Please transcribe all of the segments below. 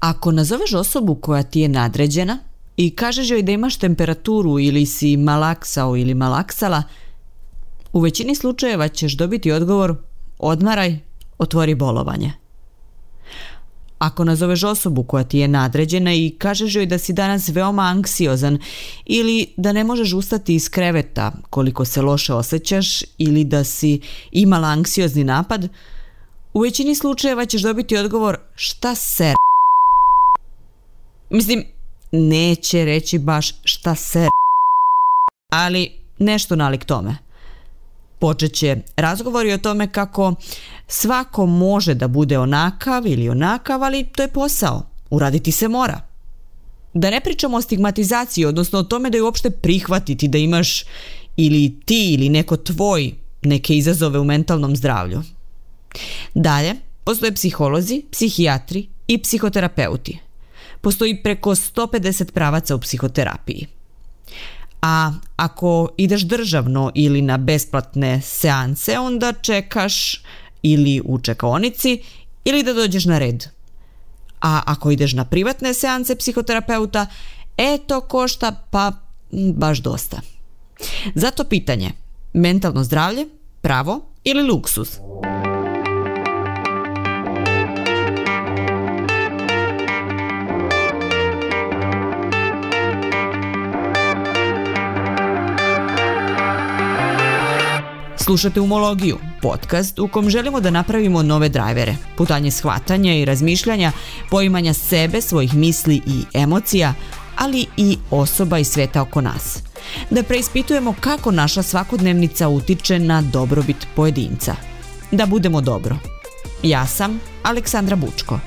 Ako nazoveš osobu koja ti je nadređena i kažeš joj da imaš temperaturu ili si malaksao ili malaksala, u većini slučajeva ćeš dobiti odgovor odmaraj, otvori bolovanje. Ako nazoveš osobu koja ti je nadređena i kažeš joj da si danas veoma anksiozan ili da ne možeš ustati iz kreveta koliko se loše osjećaš ili da si imala anksiozni napad, u većini slučajeva ćeš dobiti odgovor šta ser. Mislim, neće reći baš šta ser, ali nešto nalik tome. Počet će razgovori o tome kako svako može da bude onakav ili onakav, ali to je posao. Uraditi se mora. Da ne pričamo o stigmatizaciji, odnosno o tome da je uopšte prihvatiti da imaš ili ti ili neko tvoj neke izazove u mentalnom zdravlju. Dalje, postoje psiholozi, psihijatri i psihoterapeuti. Postoji preko 150 pravaca u psihoterapiji. A ako ideš državno ili na besplatne seanse, onda čekaš ili u čekaonici ili da dođeš na red. A ako ideš na privatne seanse psihoterapeuta, to košta pa baš dosta. Zato pitanje, mentalno zdravlje, pravo ili luksuz? Slušate Umologiju, podcast u kom želimo da napravimo nove drajvere, putanje shvatanja i razmišljanja, poimanja sebe, svojih misli i emocija, ali i osoba i sveta oko nas. Da preispitujemo kako naša svakodnevnica utiče na dobrobit pojedinca. Da budemo dobro. Ja sam Aleksandra Bučko.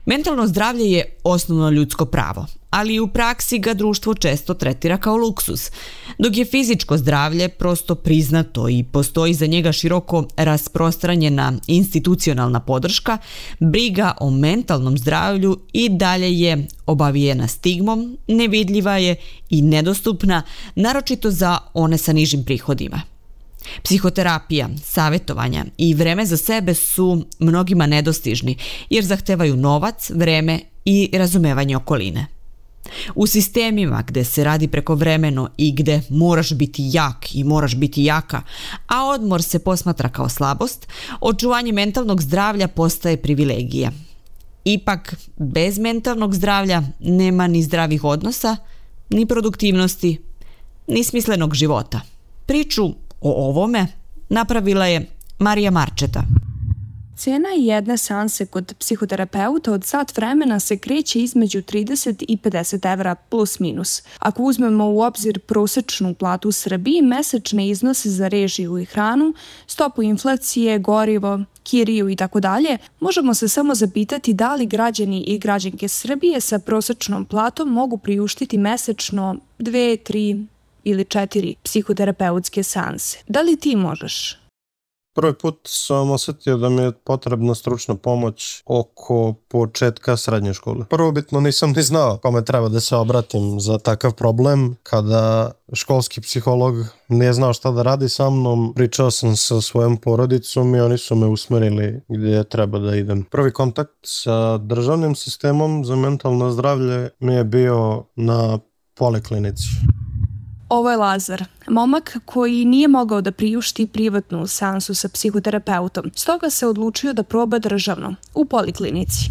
Mentalno zdravlje je osnovno ljudsko pravo, ali u praksi ga društvo često tretira kao luksuz, dok je fizičko zdravlje prosto priznato i postoji za njega široko rasprostranjena institucionalna podrška, briga o mentalnom zdravlju i dalje je obavijena stigmom, nevidljiva je i nedostupna, naročito za one sa nižim prihodima. Psihoterapija, savjetovanja i vreme za sebe su mnogima nedostižni jer zahtevaju novac, vreme i razumevanje okoline. U sistemima gde se radi prekovremeno i gde moraš biti jak i moraš biti jaka, a odmor se posmatra kao slabost, očuvanje mentalnog zdravlja postaje privilegija. Ipak, bez mentalnog zdravlja nema ni zdravih odnosa, ni produktivnosti, ni smislenog života. Priču o ovome napravila je Marija Marčeta. Cena jedne seanse kod psihoterapeuta od sat vremena se kreće između 30 i 50 evra plus minus. Ako uzmemo u obzir prosečnu platu u Srbiji, mesečne iznose za režiju i hranu, stopu inflacije, gorivo, kiriju i tako dalje, možemo se samo zapitati da li građani i građanke Srbije sa prosečnom platom mogu priuštiti mesečno 2, 3 ili 4 psihoterapeutske seanse. Da li ti možeš? Prvi put sam osjetio da mi je potrebna stručna pomoć oko početka srednje škole. Prvobitno nisam ni znao kome treba da se obratim za takav problem. Kada školski psiholog nije znao šta da radi sa mnom, pričao sam sa svojom porodicom i oni su me usmerili gdje treba da idem. Prvi kontakt sa državnim sistemom za mentalno zdravlje mi je bio na poliklinici. Ovo je Lazar, momak koji nije mogao da priušti privatnu seansu sa psihoterapeutom, stoga se odlučio da proba državno, u poliklinici.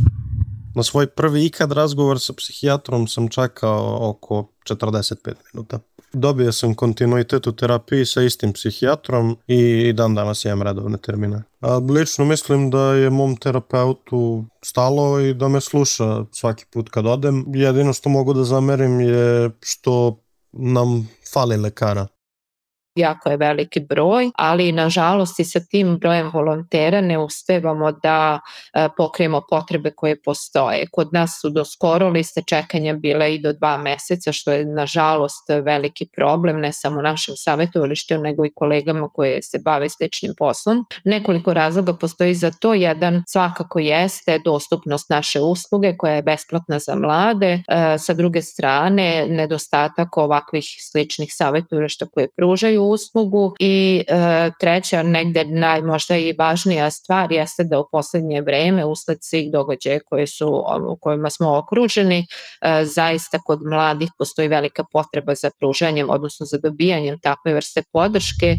Na svoj prvi ikad razgovor sa psihijatrom sam čekao oko 45 minuta. Dobio sam kontinuitet u terapiji sa istim psihijatrom i dan danas imam redovne termine. A lično mislim da je mom terapeutu stalo i da me sluša svaki put kad odem. Jedino što mogu da zamerim je što nam fali lekara. Jako je veliki broj, ali nažalost i sa tim brojem volontera ne uspevamo da pokrijemo potrebe koje postoje. Kod nas su do skoro liste čekanja bile i do 2 meseca, što je nažalost veliki problem, ne samo našem savjetovalištu, nego i kolegama koje se bave sličnim poslom. Nekoliko razloga postoji za to. Jedan svakako jeste dostupnost naše usluge koja je besplatna za mlade. Sa druge strane, nedostatak ovakvih sličnih savjetovališta koje pružaju svoju uslugu i treća, negde možda i važnija stvar jeste da u poslednje vreme usled svih događaja u kojima smo okruženi, zaista kod mladih postoji velika potreba za pružanjem, odnosno za dobijanjem takve vrste podrške.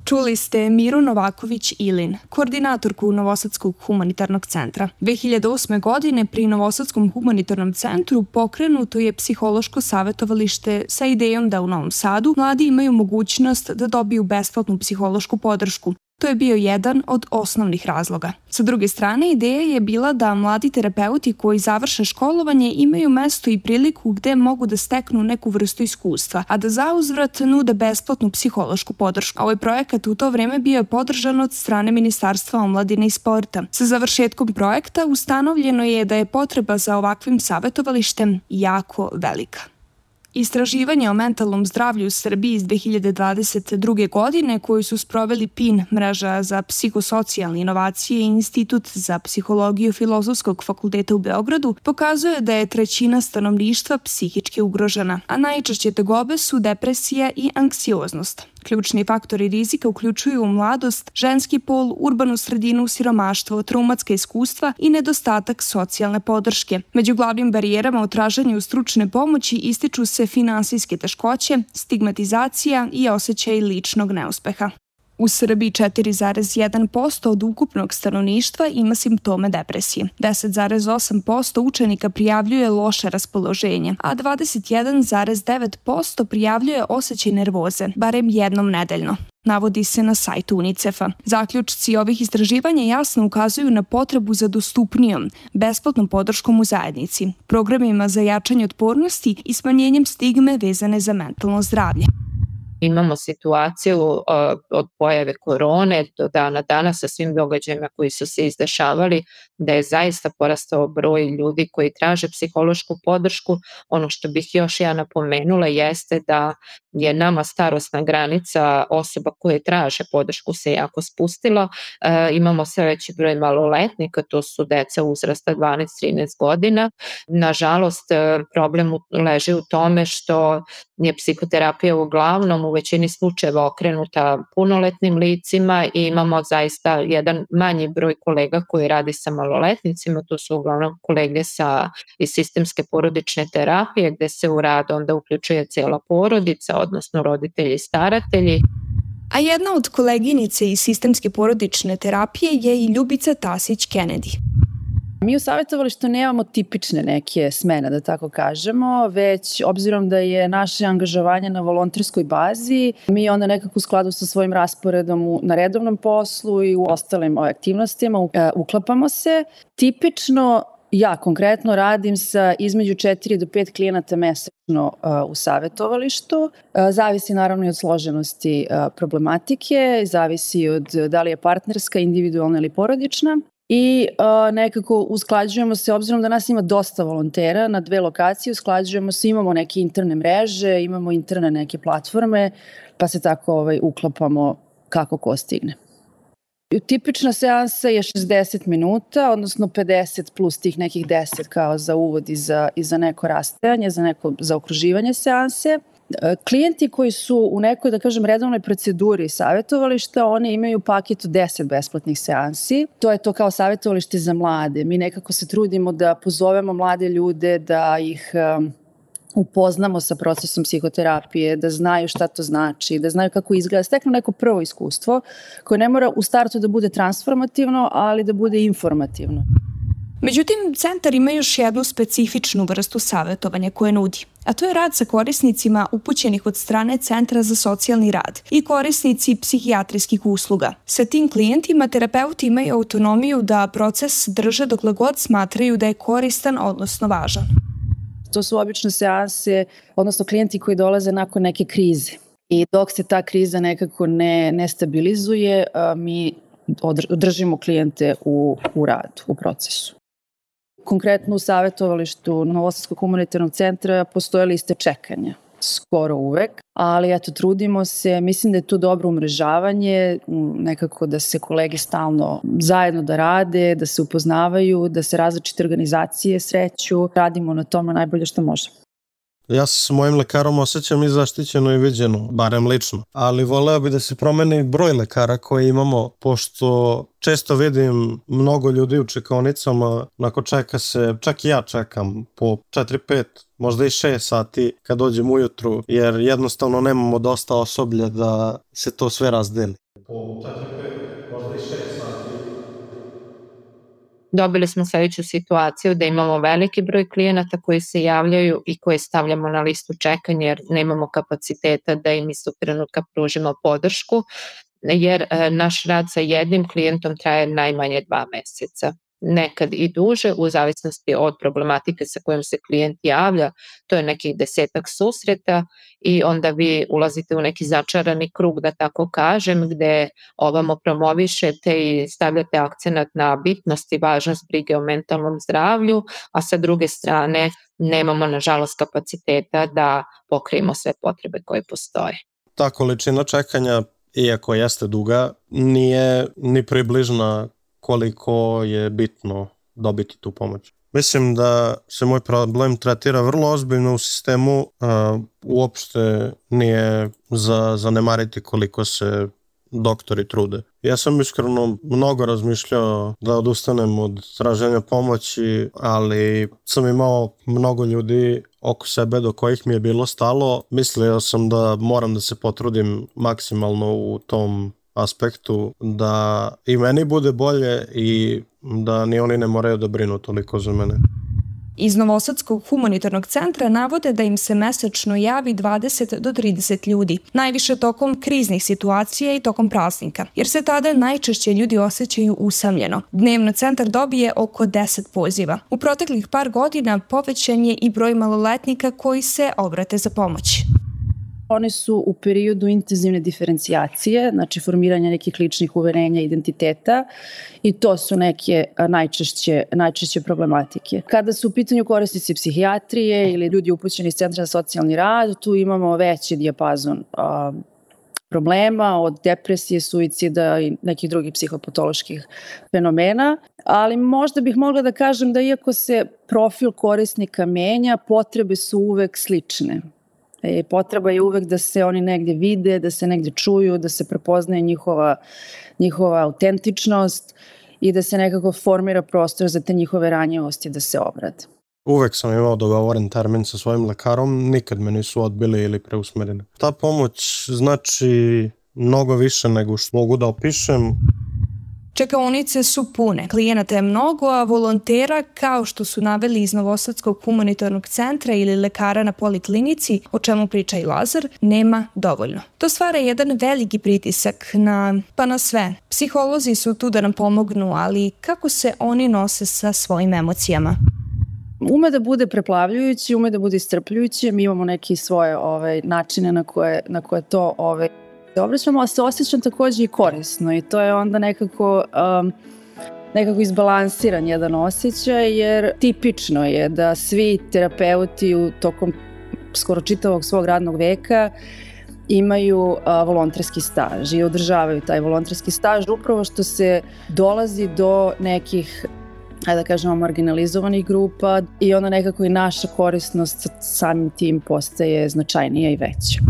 Čuli ste Miru Novaković-Ilin, koordinatorku Novosadskog humanitarnog centra. 2008. godine pri Novosadskom humanitarnom centru pokrenuto je psihološko savetovalište sa idejom da u Novom Sadu mladi imaju mogućnost da dobiju besplatnu psihološku podršku. To je bio jedan od osnovnih razloga. Sa druge strane, ideja je bila da mladi terapeuti koji završe školovanje imaju mesto i priliku gde mogu da steknu neku vrstu iskustva, a da zauzvrat nude besplatnu psihološku podršku. Ovaj projekat u to vreme bio je podržan od strane Ministarstva omladine i sporta. Sa završetkom projekta ustanovljeno je da je potreba za ovakvim savetovalištem jako velika. Istraživanje o mentalnom zdravlju u Srbiji iz 2022. godine koju su sproveli PIN, mreža za psihosocijalne inovacije i Institut za psihologiju Filozofskog fakulteta u Beogradu, pokazuje da je trećina stanovništva psihički ugrožena, a najčešće tegobe su depresija i anksioznost. Ključni faktori rizika uključuju mladost, ženski pol, urbanu sredinu, siromaštvo, traumatska iskustva i nedostatak socijalne podrške. Među glavnim barijerama u traženju stručne pomoći ističu se finansijske teškoće, stigmatizacija i osjećaj ličnog neuspeha. U Srbiji 4,1% od ukupnog stanovništva ima simptome depresije. 10,8% učenika prijavljuje loše raspoloženje, a 21,9% prijavljuje osjećaj nervoze, barem jednom nedeljno. Navodi se na sajtu UNICEF-a. Zaključci ovih istraživanja jasno ukazuju na potrebu za dostupnijom, besplatnom podrškom u zajednici, programima za jačanje otpornosti i smanjenjem stigme vezane za mentalno zdravlje. Imamo situaciju od pojave korone do dana danas sa svim događajima koji su se izdešavali, da je zaista porastao broj ljudi koji traže psihološku podršku. Ono što bih još ja napomenula jeste da je nama starosna granica osoba koje traže podršku se jako spustila. Imamo sve veći broj maloletnika, to su deca uzrasta 12-13 godina. Nažalost, problem leži u tome što je psihoterapija uglavnom u većini slučajeva okrenuta punoletnim licima i imamo zaista jedan manji broj kolega koji radi sa maloletnicima, to su uglavnom kolege iz sistemske porodične terapije gde se u rad onda uključuje cijela porodica, odnosno roditelji i staratelji. A jedna od koleginice iz sistemske porodične terapije je i Ljubica Tasić-Kennedy. Mi u savjetovalištu nemamo tipične neke smene, da tako kažemo, već obzirom da je naše angažovanje na volonterskoj bazi, mi onda nekako u skladu sa svojim rasporedom na redovnom poslu i u ostalim aktivnostima uklapamo se. Tipično ja konkretno radim sa između 4 do 5 klijenata mesečno u savjetovalištu. Zavisi naravno i od složenosti problematike, zavisi od da li je partnerska, individualna ili porodična. I nekako usklađujemo se, obzirom da nas ima dosta volontera na 2 lokacije, usklađujemo se, imamo neke interne mreže, imamo interne neke platforme, pa se tako uklapamo kako ko stigne. Tipična seansa je 60 minuta, odnosno 50 plus tih nekih 10 kao za uvod i za neko rastajanje, za neko zaokruživanje seanse. Klijenti koji su u nekoj, da kažem, redovnoj proceduri savjetovališta, oni imaju paket od 10 besplatnih seansi. To je to kao savjetovalište za mlade. Mi nekako se trudimo da pozovemo mlade ljude, da ih upoznamo sa procesom psihoterapije, da znaju šta to znači, da znaju kako izgleda, steknu neko prvo iskustvo koje ne mora u startu da bude transformativno, ali da bude informativno. Međutim, centar ima još jednu specifičnu vrstu savjetovanja koje nudi, a to je rad sa korisnicima upućenih od strane Centra za socijalni rad i korisnici psihijatrijskih usluga. Sa tim klijentima terapeuti imaju autonomiju da proces drže dokle god smatraju da je koristan, odnosno važan. To su obično seanse, odnosno klijenti koji dolaze nakon neke krize. I dok se ta kriza nekako ne stabilizuje, mi održimo klijente u radu, u procesu. Konkretno u savjetovalištu Novosadskog humanitarnog centra postoje liste čekanja, skoro uvek, ali eto, trudimo se, mislim da je to dobro umrežavanje, nekako da se kolege stalno zajedno da rade, da se upoznavaju, da se različite organizacije sreću, radimo na tome najbolje što možemo. Ja se s mojim lekarom osjećam i zaštićeno i viđeno, barem lično. Ali voleo bi da se promeni broj lekara koje imamo, pošto često vidim mnogo ljudi u čekaonicama, nakon čeka se, čak i ja čekam po 4-5, možda i 6 sati kad dođem ujutru, jer jednostavno nemamo dosta osoblja da se to sve razdeli. Po 4-5, možda i 6 sati. Dobili smo sledeću situaciju da imamo veliki broj klijenata koji se javljaju i koje stavljamo na listu čekanja jer nemamo kapaciteta da im istog trenutka pružimo podršku, jer naš rad sa jednim klijentom traje najmanje 2 meseca. Nekad i duže, u zavisnosti od problematike sa kojom se klijent javlja, to je nekih 10-ak susreta i onda vi ulazite u neki začarani krug, da tako kažem, gde ovamo promovišete i stavljate akcenat na bitnost i važnost brige o mentalnom zdravlju, a sa druge strane nemamo nažalost kapaciteta da pokrijemo sve potrebe koje postoje. Ta količina čekanja, iako jeste duga, nije ni približna koliko je bitno dobiti tu pomoć. Mislim da se moj problem tretira vrlo ozbiljno u sistemu, uopšte nije za zanemariti koliko se doktori trude. Ja sam iskreno mnogo razmišljao da odustanem od traženja pomoći, ali sam imao mnogo ljudi oko sebe do kojih mi je bilo stalo. Mislio sam da moram da se potrudim maksimalno u tom aspektu da i meni bude bolje i da ni oni ne moraju da brinu toliko za mene. Iz Novosadskog humanitarnog centra navode da im se mesečno javi 20 do 30 ljudi, najviše tokom kriznih situacija i tokom praznika, jer se tada najčešće ljudi osjećaju usamljeno. Dnevno centar dobije oko 10 poziva. U proteklih par godina povećan je i broj maloletnika koji se obrate za pomoć. Oni su u periodu intenzivne diferencijacije, znači formiranja nekih ličnih uverenja, identiteta, i to su neke najčešće problematike. Kada su u pitanju korisnici psihijatrije ili ljudi upućeni iz Centra za socijalni rad, tu imamo veći dijapazon problema, od depresije, suicida i nekih drugih psihopatoloških fenomena, ali možda bih mogla da kažem da iako se profil korisnika menja, potrebe su uvek slične. Potreba je uvek da se oni negdje vide, da se negdje čuju, da se prepoznaje njihova autentičnost i da se nekako formira prostor za te njihove ranjivosti da se obrade. Uvek sam imao dogovoren termin sa svojim lekarom, nikad me nisu odbili ili preusmerili. Ta pomoć znači mnogo više nego što mogu da opišem. Čekaonice su pune, klijenata je mnogo, a volontera, kao što su naveli iz Novosadskog humanitarnog centra ili lekara na poliklinici, o čemu priča i Lazar, nema dovoljno. To stvara jedan veliki pritisak na sve. Psiholozi su tu da nam pomognu, ali kako se oni nose sa svojim emocijama? Ume da bude preplavljujući, ume da bude iscrpljujući, mi imamo neke svoje načine na koje to obraćamo, ali se osjećam također i korisno i to je onda nekako izbalansiran jedan osjećaj, jer tipično je da svi terapeuti tokom skoro čitavog svog radnog veka imaju volonterski staž i održavaju taj volonterski staž upravo što se dolazi do nekih, da kažemo, marginalizovanih grupa i onda nekako i naša korisnost samim tim postaje značajnija i veća.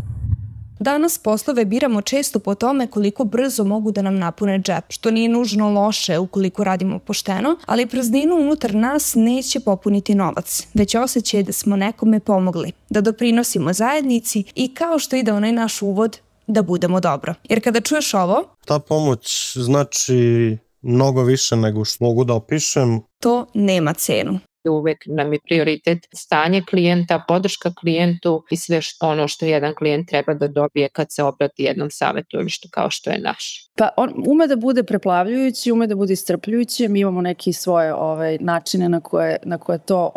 Danas poslove biramo često po tome koliko brzo mogu da nam napune džep, što nije nužno loše ukoliko radimo pošteno, ali prazninu unutar nas neće popuniti novac, već osjećaj da smo nekome pomogli, da doprinosimo zajednici i kao što ide onaj naš uvod, da budemo dobro. Jer kada čuješ ovo, ta pomoć znači mnogo više nego što mogu da opišem. To nema cenu. Uvek nam je prioritet stanje klijenta, podrška klijentu i sve ono što jedan klijent treba da dobije kad se obrati jednom savjetovalištu kao što je naš. Pa on ume da bude preplavljujući, ume da bude iscrpljujući, mi imamo neke svoje načine na koje to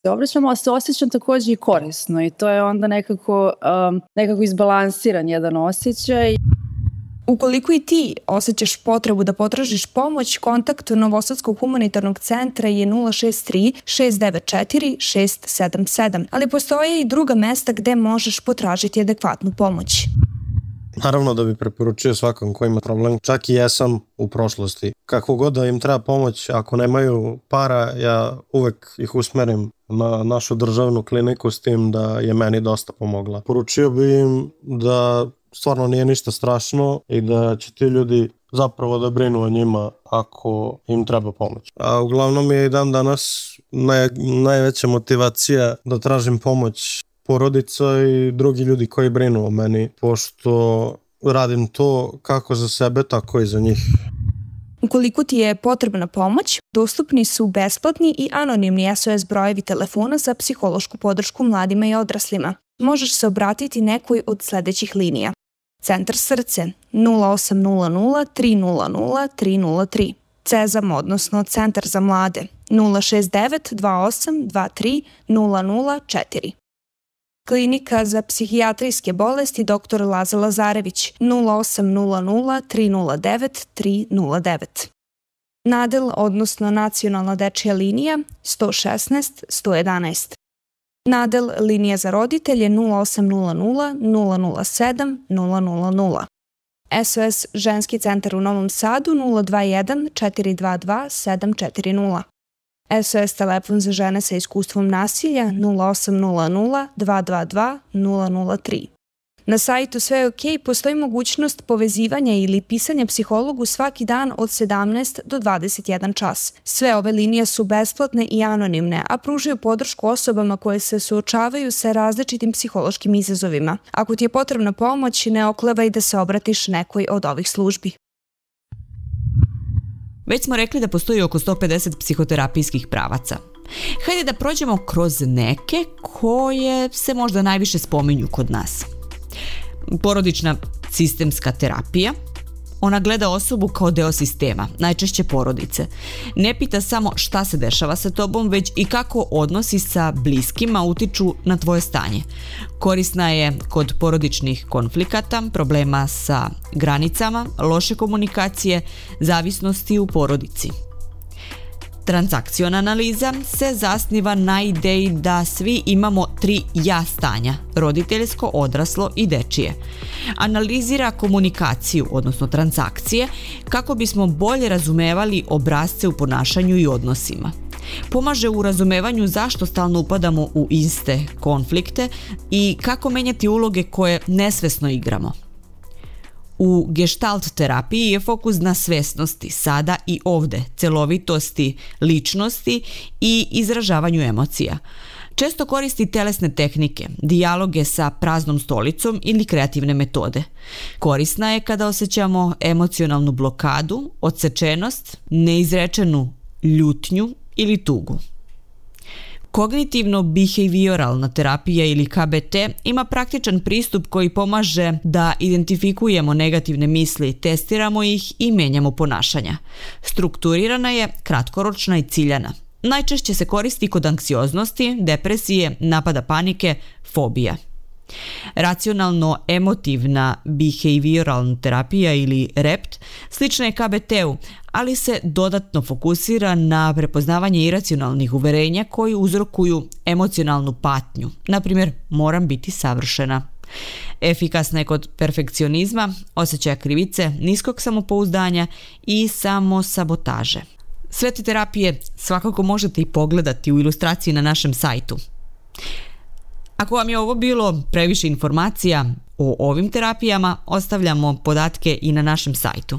se obraćamo, ali se osjećam također i korisno i to je onda nekako izbalansiran jedan osjećaj. Ukoliko i ti osjećaš potrebu da potražiš pomoć, kontakt Novosadskog humanitarnog centra je 063 694 677, ali postoje i druga mesta gde možeš potražiti adekvatnu pomoć. Naravno da bi preporučio svakom ko ima problem, čak i jesam u prošlosti. Kako god da im treba pomoć, ako nemaju para, ja uvek ih usmerim na našu državnu kliniku, s tim da je meni dosta pomogla. Poručio bi im da stvarno nije ništa strašno i da će ti ljudi zapravo da brinu o njima ako im treba pomoć. A uglavnom je i dan danas najveća motivacija da tražim pomoć porodica i drugi ljudi koji brinu o meni, pošto radim to kako za sebe, tako i za njih. Ukoliko ti je potrebna pomoć, dostupni su besplatni i anonimni SOS brojevi telefona za psihološku podršku mladima i odraslima. Možeš se obratiti nekoj od sledećih linija. Centar Srce 0800 300 303, CEZAM, odnosno Centar za mlade 069 28 23 004. Klinika za psihijatrijske bolesti dr. Laza Lazarević 0800 309 309. Nadel, odnosno Nacionalna dečija linija 116 111. Nadel linija za roditelje 0800 007 000. SOS ženski centar u Novom Sadu 021 422 740. SOS telefon za žene sa iskustvom nasilja 0800 222 003. Na sajtu Sve je OK postoji mogućnost povezivanja ili pisanja psihologu svaki dan od 17 do 21 čas. Sve ove linije su besplatne i anonimne, a pružaju podršku osobama koje se suočavaju sa različitim psihološkim izazovima. Ako ti je potrebna pomoć, ne oklevaj da se obratiš nekoj od ovih službi. Već smo rekli da postoji oko 150 psihoterapijskih pravaca. Hajde da prođemo kroz neke koje se možda najviše spominju kod nas. Porodična sistemska terapija. Ona gleda osobu kao deo sistema, najčešće porodice. Ne pita samo šta se dešava sa tobom, već i kako odnosi sa bliskima utiču na tvoje stanje. Korisna je kod porodičnih konflikata, problema sa granicama, loše komunikacije, zavisnosti u porodici. Transakciona analiza se zasniva na ideji da svi imamo 3 ja stanja, roditeljsko, odraslo i dečije. Analizira komunikaciju, odnosno transakcije, kako bismo bolje razumevali obrasce u ponašanju i odnosima. Pomaže u razumevanju zašto stalno upadamo u iste konflikte i kako menjati uloge koje nesvesno igramo. U gestalt terapiji je fokus na svesnosti, sada i ovde, celovitosti, ličnosti i izražavanju emocija. Često koristi telesne tehnike, dijaloge sa praznom stolicom ili kreativne metode. Korisna je kada osjećamo emocionalnu blokadu, odsečenost, neizrečenu ljutnju ili tugu. Kognitivno-behavioralna terapija ili KBT ima praktičan pristup koji pomaže da identifikujemo negativne misli, testiramo ih i menjamo ponašanja. Strukturirana je, kratkoročna i ciljana. Najčešće se koristi kod anksioznosti, depresije, napada panike, fobija. Racionalno-emotivna behavioralna terapija ili REPT slična je KBT-u, ali se dodatno fokusira na prepoznavanje iracionalnih uverenja koji uzrokuju emocionalnu patnju. Naprimjer, moram biti savršena. Efikasna je kod perfekcionizma, osjećaja krivice, niskog samopouzdanja i samosabotaže. Sve te terapije svakako možete i pogledati u ilustraciji na našem sajtu. Ako vam je ovo bilo previše informacija o ovim terapijama, ostavljamo podatke i na našem sajtu.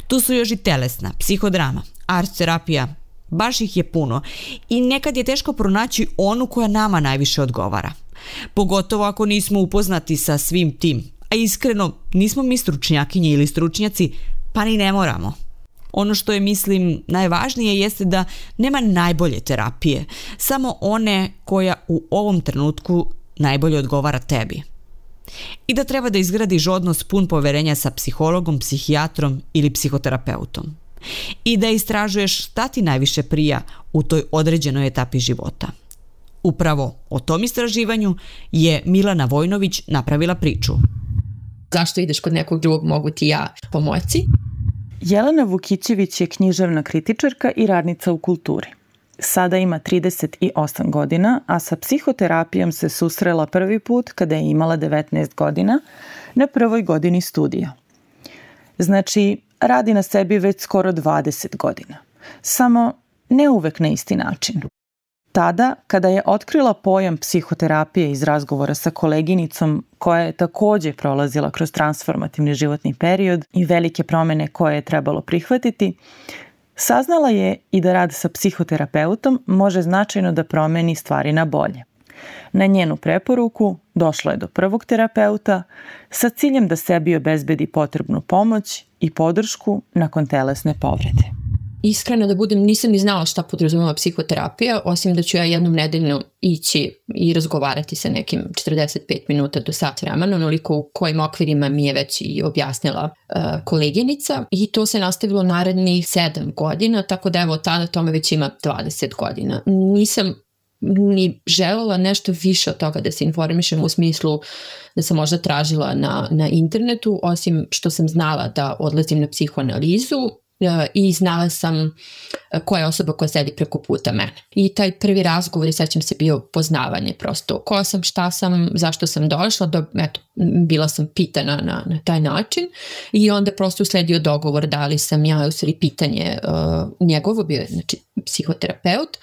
Tu su još i telesna, psihodrama, art terapija, baš ih je puno i nekad je teško pronaći onu koja nama najviše odgovara. Pogotovo ako nismo upoznati sa svim tim, a iskreno nismo mi stručnjakinje ili stručnjaci, pa ni ne moramo. Ono što je, mislim, najvažnije jeste da nema najbolje terapije, samo one koja u ovom trenutku najbolje odgovara tebi. I da treba da izgradiš odnos pun poverenja sa psihologom, psihijatrom ili psihoterapeutom. I da istražuješ šta ti najviše prija u toj određenoj etapi života. Upravo o tom istraživanju je Milana Vojnović napravila priču. Zašto ideš kod nekog drugog, mogu ti ja pomoći? Jelena Vukićević je književna kritičarka i radnica u kulturi. Sada ima 38 godina, a sa psihoterapijom se susrela prvi put kada je imala 19 godina na prvoj godini studija. Znači, radi na sebi već skoro 20 godina. Samo ne uvek na isti način. Tada, kada je otkrila pojam psihoterapije iz razgovora sa koleginicom koja je takođe prolazila kroz transformativni životni period i velike promene koje je trebalo prihvatiti, saznala je i da rad sa psihoterapeutom može značajno da promeni stvari na bolje. Na njenu preporuku došla je do prvog terapeuta sa ciljem da sebi obezbedi potrebnu pomoć i podršku nakon telesne povrede. Iskreno da budem, nisam ni znala šta podrazumeva psihoterapija, osim da ću ja jednom nedeljno ići i razgovarati sa nekim 45 minuta do sat vremena, onoliko u kojim okvirima mi je već i objasnila koleginica, i to se nastavilo narednih 7 godina, tako da evo od tada tome već ima 20 godina. Nisam ni želela nešto više od toga da se informišem, u smislu da sam možda tražila na internetu, osim što sam znala da odlazim na psihoanalizu i znala sam koja je osoba koja sedi preko puta mene. I taj prvi razgovor, sećam se, bio poznavanje prosto. Ko sam, šta sam, zašto sam došla, eto, bila sam pitana na taj način i onda prosto usledio dogovor da li sam ja, u stvari pitanje njegovo, bio je znači psihoterapeut,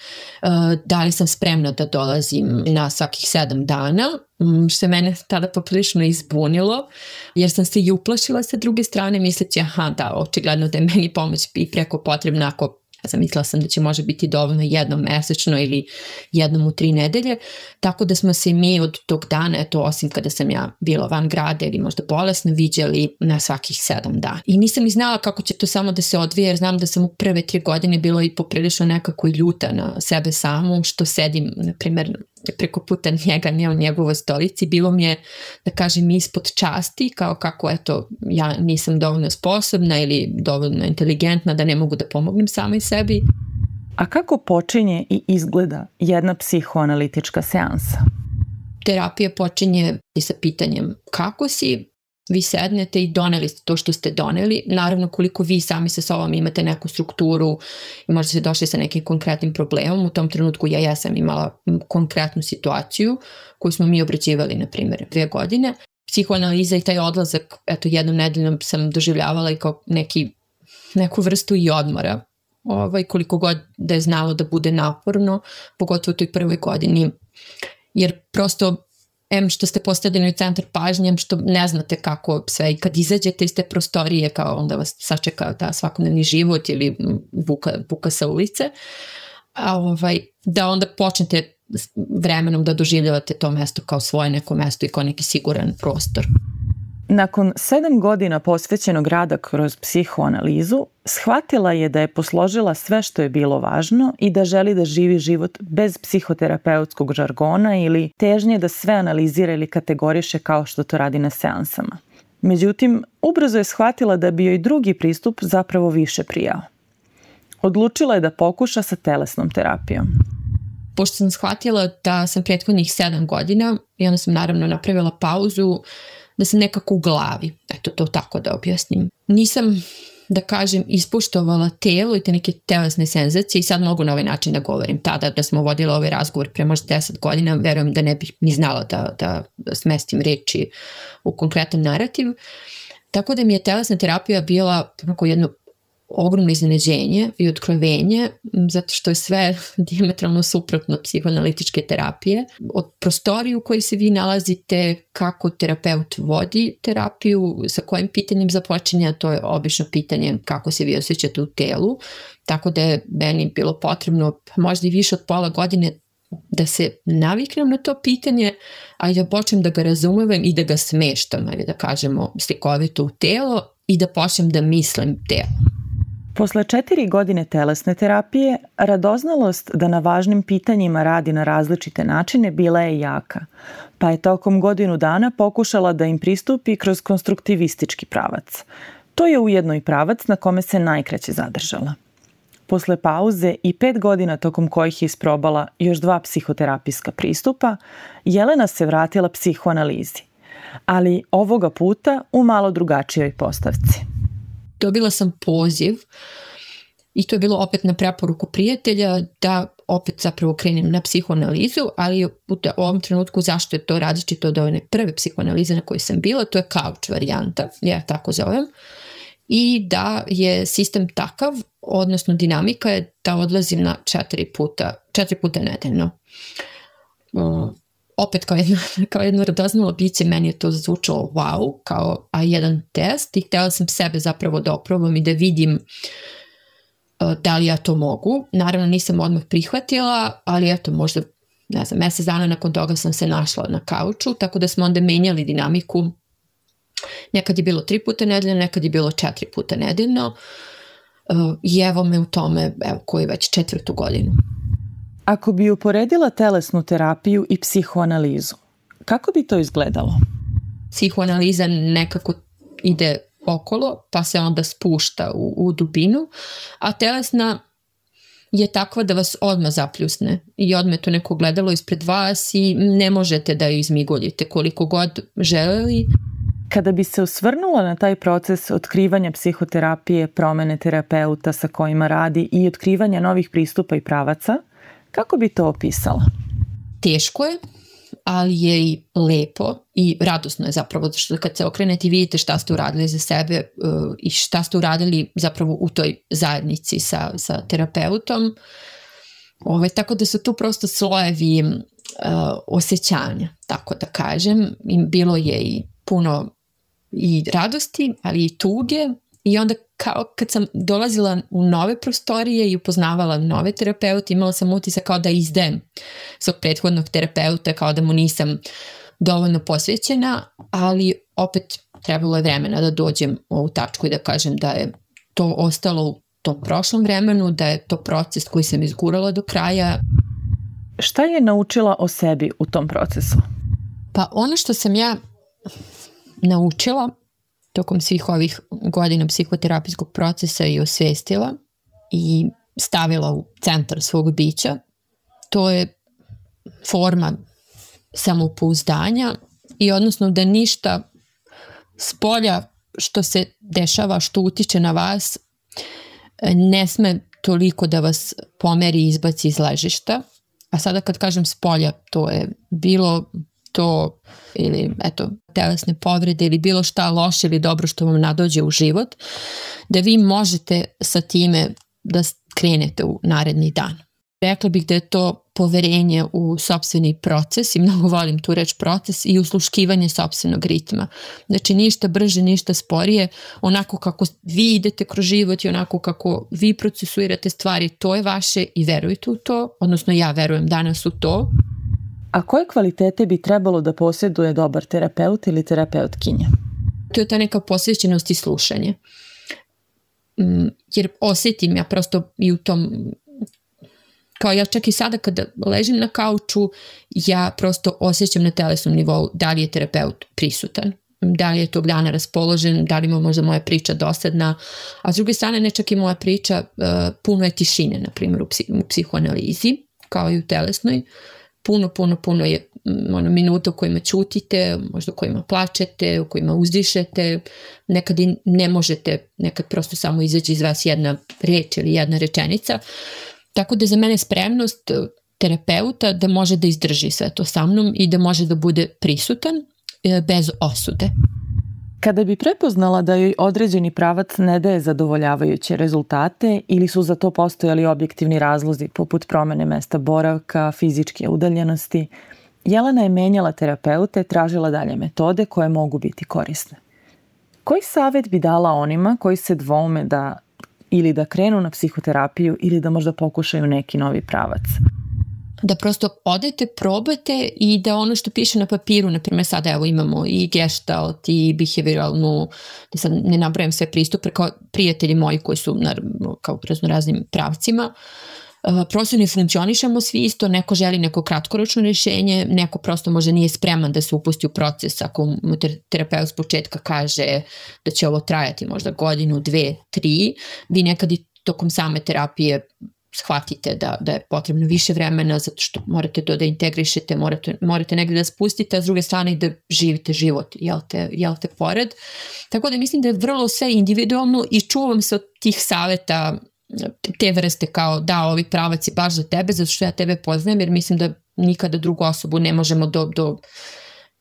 da li sam spremna da dolazim na svakih 7 dana, što je mene tada poprilično izbunilo, jer sam se i uplašila sa druge strane, misleći da, očigledno da je meni pomoć i preko potrebna, ako zamislila sam da će može biti dovoljno jednom mesečno ili jednom u 3 nedelje, tako da smo se mi od tog dana, eto, osim kada sam ja bila van grada ili možda bolesna, viđali na svakih 7 dana. I nisam ni znala kako će to samo da se odvije, jer znam da sam u prve 3 godine bila i poprilično nekako ljuta na sebe samu, što sedim, na primjer, preko puta njega, ne u njegovoj stolici, bilo mi je, da kažem, ispod časti, kao kako, eto, ja nisam dovoljno sposobna ili dovoljno inteligentna da ne mogu da pomognem samoj sebi. A kako počinje i izgleda jedna psihoanalitička seansa? Terapija počinje i sa pitanjem kako si. Vi sednete i doneli ste to što ste doneli. Naravno, koliko vi sami sa sobom imate neku strukturu i možda ste došli sa nekim konkretnim problemom. U tom trenutku ja sam imala konkretnu situaciju koju smo mi obrađivali, na primjer, 2 godine. Psihoanaliza i taj odlazak, eto, jednom nedeljom sam doživljavala i kao neku vrstu i odmora. Koliko god da je znalo da bude naporno, pogotovo u toj prvoj godini. Jer prosto što ste postavljeni u centar pažnje, što ne znate kako sve, i kad izađete iz te prostorije, kao onda vas sačeka da svakodnevni život ili buka sa ulice, da onda počnete vremenom da doživljavate to mesto kao svoje neko mesto i kao neki siguran prostor. Nakon 7 godina posvećenog rada kroz psihoanalizu, shvatila je da je posložila sve što je bilo važno i da želi da živi život bez psihoterapeutskog žargona ili težnje da sve analizira ili kategoriše kao što to radi na seansama. Međutim, ubrzo je shvatila da bi joj drugi pristup zapravo više prijao. Odlučila je da pokuša sa telesnom terapijom. Pošto sam shvatila da sam prethodnih 7 godina i onda sam naravno napravila pauzu, da sam nekako u glavi, eto to tako da objasnim. Nisam, da kažem, ispoštovala telo i te neke telesne senzacije i sad mogu na ovaj način da govorim. Tada da smo vodili ovaj razgovor pre možda 10 godina, verujem da ne bih ni znala da smestim reči u konkretan narativ. Tako da mi je telesna terapija bila jedno ogromno iznenađenje i otkrovenje, zato što je sve dijametralno suprotno psihoanalitičke terapije. Od prostorije u kojoj se vi nalazite, kako terapeut vodi terapiju, sa kojim pitanjem započinja, to je obično pitanje kako se vi osjećate u telu, tako da je meni bilo potrebno možda i više od pola godine da se naviknem na to pitanje, ali da počnem da ga razumem i da ga smeštam, ali da kažemo slikovito u telo, i da počnem da mislim telo. Posle 4 godine telesne terapije, radoznalost da na važnim pitanjima radi na različite načine bila je jaka, pa je tokom godinu dana pokušala da im pristupi kroz konstruktivistički pravac. To je ujedno i pravac na kome se najkraće zadržala. Posle pauze i 5 godina tokom kojih je isprobala još 2 psihoterapijska pristupa, Jelena se vratila psihoanalizi, ali ovoga puta u malo drugačijoj postavci. Dobila sam poziv i to je bilo opet na preporuku prijatelja da opet zapravo krenem na psihoanalizu, ali u ovom trenutku zašto je to različito od one prve psihoanalize na kojoj sam bila, to je couch varijanta, ja tako zovem. i da je sistem takav, odnosno dinamika je da odlazim na 4 puta nedeljno. Opet kao jedno radoznalo biće, meni je to zvučalo wow, kao A1 test i htjela sam sebe zapravo da oprobam i da vidim da li ja to mogu. Naravno nisam odmah prihvatila, ali eto možda, ne znam, mjesec dana nakon toga sam se našla na kauču, tako da smo onda menjali dinamiku. Nekad je bilo 3 puta nedeljno, nekad je bilo 4 puta nedeljno i evo me u tome, koji već 4. godinu. Ako bi uporedila telesnu terapiju i psihoanalizu, kako bi to izgledalo? Psihoanaliza nekako ide okolo, pa se onda spušta u dubinu, a telesna je takva da vas odmah zapljusne i odmah to neko gledalo ispred vas i ne možete da ju izmigoljite koliko god želeli. Kada bi se osvrnula na taj proces otkrivanja psihoterapije, promene terapeuta sa kojima radi i otkrivanja novih pristupa i pravaca, kako bi to opisala? Teško je, ali je i lepo i radosno je zapravo, što kad se okrenete i vidite šta ste uradili za sebe i šta ste uradili zapravo u toj zajednici sa terapeutom. Tako da su tu prosto slojevi osjećanja, tako da kažem. I bilo je i puno i radosti, ali i tuge. I onda kao kad sam dolazila u nove prostorije i upoznavala nove terapeute, imala sam utisak kao da izdajem svog prethodnog terapeuta, kao da mu nisam dovoljno posvećena, ali opet trebalo je vremena da dođem u ovu tačku i da kažem da je to ostalo u tom prošlom vremenu, da je to proces koji sam izgurala do kraja. Šta je naučila o sebi u tom procesu? Pa ono što sam ja naučila tokom svih ovih godina psihoterapijskog procesa i osvestila i stavila u centar svog bića, to je forma samopouzdanja i odnosno da ništa spolja što se dešava, što utiče na vas, ne sme toliko da vas pomeri i izbaci iz ležišta. A sada kad kažem spolja, to je bilo to ili telesne povrede ili bilo šta loše ili dobro što vam nadođe u život, da vi možete sa time da krenete u naredni dan. Rekla bih da je to poverenje u sopstveni proces i mnogo volim tu reč proces i usluškivanje sopstvenog ritma. Znači ništa brže, ništa sporije, onako kako vi idete kroz život i onako kako vi procesuirate stvari, to je vaše i verujte u to, odnosno ja verujem danas u to. A koje kvalitete bi trebalo da posjeduje dobar terapeut ili terapeutkinja? To je ta neka posvećenost i slušanje. Jer osjetim ja prosto i u tom, kao ja čak i sada kada ležim na kauču, ja prosto osjećam na telesnom nivou da li je terapeut prisutan, da li je tog dana raspoložen, da li ima možda moja priča dosadna, a s druge strane ne čak i moja priča, puno je tišine, na primjer u psihoanalizi, kao i u telesnoj. Puno je minuta u kojima ćutite, možda u kojima plačete, u kojima uzdišete, nekad i ne možete, nekad prosto samo izađe iz vas jedna reč ili jedna rečenica. Tako da za mene spremnost terapeuta da može da izdrži sve to sa mnom i da može da bude prisutan bez osude. Kada bi prepoznala da joj određeni pravac ne daje zadovoljavajuće rezultate ili su za to postojali objektivni razlozi poput promene mesta boravka, fizičke udaljenosti, Jelena je menjala terapeute, tražila dalje metode koje mogu biti korisne. Koji savjet bi dala onima koji se dvoume da ili da krenu na psihoterapiju ili da možda pokušaju neki novi pravac? Da prosto odete, probate i da ono što piše na papiru, na primjer sada evo imamo i gestalt i behavioralnu, da sad ne nabrajam sve pristupe, kao prijatelji moji koji su kao raznim pravcima, prosto ne funkcionišemo svi isto, neko želi neko kratkoročno rješenje, neko prosto možda nije spreman da se upusti u proces, ako mu terapeut s početka kaže da će ovo trajati možda godinu, 2, 3, vi nekad i tokom same terapije shvatite da je potrebno više vremena zato što morate to da integrišete, morate negdje da spustite, a s druge strane i da živite život, jel te pored. Tako da mislim da je vrlo sve individualno i čuvam se od tih savjeta te vrste kao da ovi pravac je baš za tebe, zato što ja tebe poznajem jer mislim da nikada drugu osobu ne možemo do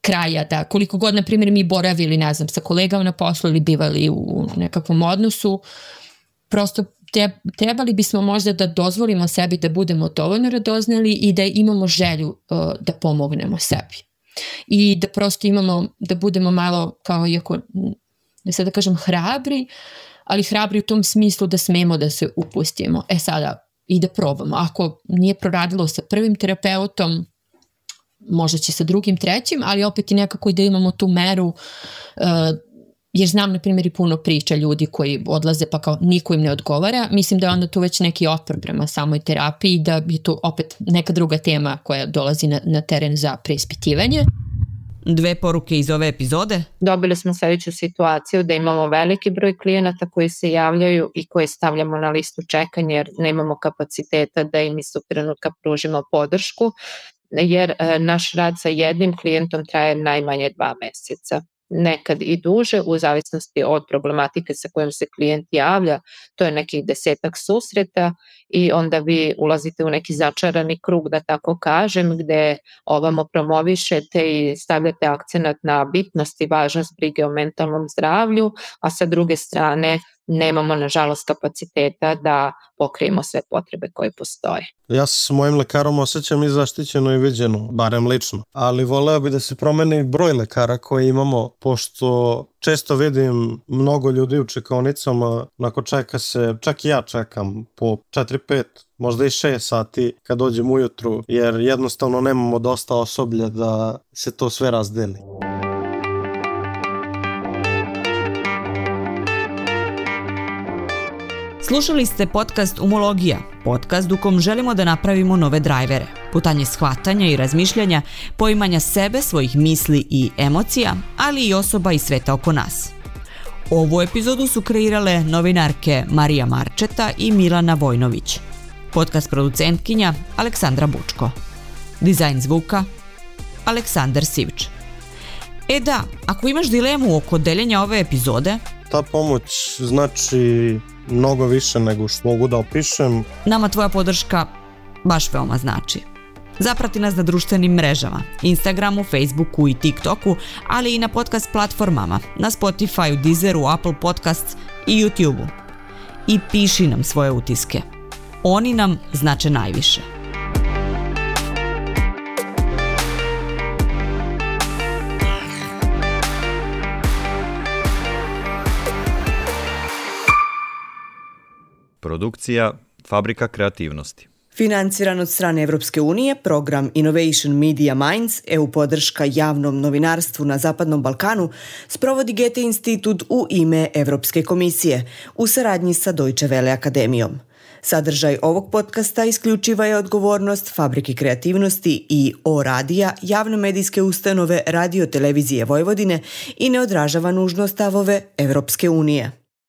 kraja, da koliko god, na primjer, mi boravili, ne znam, sa kolegama na poslu ili bivali u nekakvom odnosu, prosto trebali bismo možda da dozvolimo sebi da budemo dovoljno radoznali i da imamo želju da pomognemo sebi. I da prosto da budemo malo, kao iako, ne sad da kažem hrabri, ali hrabri u tom smislu da smemo da se upustimo. Sada i da probamo. Ako nije proradilo sa prvim terapeutom, možda će sa drugim, trećim, ali opet i nekako da imamo tu meru, jer znam, na primjer, i puno priča ljudi koji odlaze pa kao niko im ne odgovara. Mislim da je onda tu već neki otpor prema samoj terapiji, da je tu opet neka druga tema koja dolazi na teren za preispitivanje. 2 poruke iz ove epizode. Dobili smo sljedeću situaciju da imamo veliki broj klijenata koji se javljaju i koje stavljamo na listu čekanja jer nemamo kapaciteta da im istog trenutka pružimo podršku, jer naš rad sa jednim klijentom traje najmanje 2 mjeseca. Nekad i duže, u zavisnosti od problematike sa kojom se klijent javlja, to je nekih 10-ak susreta i onda vi ulazite u neki začarani krug, da tako kažem, gde ovamo promovišete i stavljate akcenat na bitnost i važnost brige o mentalnom zdravlju, a sa druge strane nemamo, nažalost, kapaciteta da pokrijemo sve potrebe koje postoje. Ja se s mojim lekarom osjećam i zaštićeno i viđeno, barem lično. Ali voleo bi da se promeni broj lekara koje imamo, pošto često vidim mnogo ljudi u čekaonicama, nakon čeka se, čak i ja čekam po 4-5, možda i 6 sati kad dođem ujutru, jer jednostavno nemamo dosta osoblja da se to sve razdeli. Slušali ste podcast Umologija, podcast u kom želimo da napravimo nove drajvere, putanje shvatanja i razmišljanja, poimanja sebe, svojih misli i emocija, ali i osoba i sveta oko nas. Ovu epizodu su kreirale novinarke Marija Marčeta i Milana Vojnović. Podcast producentkinja Aleksandra Bučko. Dizajn zvuka Aleksandar Sivč. Da, ako imaš dilemu oko deljenja ove epizode, ta pomoć znači mnogo više nego što mogu da opišem. Nama tvoja podrška baš veoma znači. Zaprati nas na društvenim mrežama, Instagramu, Facebooku i TikToku, ali i na podcast platformama, na Spotifyu, Deezeru, Apple Podcasts i YouTubeu. I piši nam svoje utiske. Oni nam znače najviše. Produkcija Fabrika kreativnosti. Financiran od strane Evropske unije, program Innovation Media Minds, EU podrška javnom novinarstvu na Zapadnom Balkanu, sprovodi Goethe institut u ime Evropske komisije, u saradnji sa Deutsche Welle akademijom. Sadržaj ovog podcasta isključiva je odgovornost Fabrike kreativnosti i O-radija, javne medijske ustanove Radio Televizije Vojvodine i ne odražava nužno stavove Evropske unije.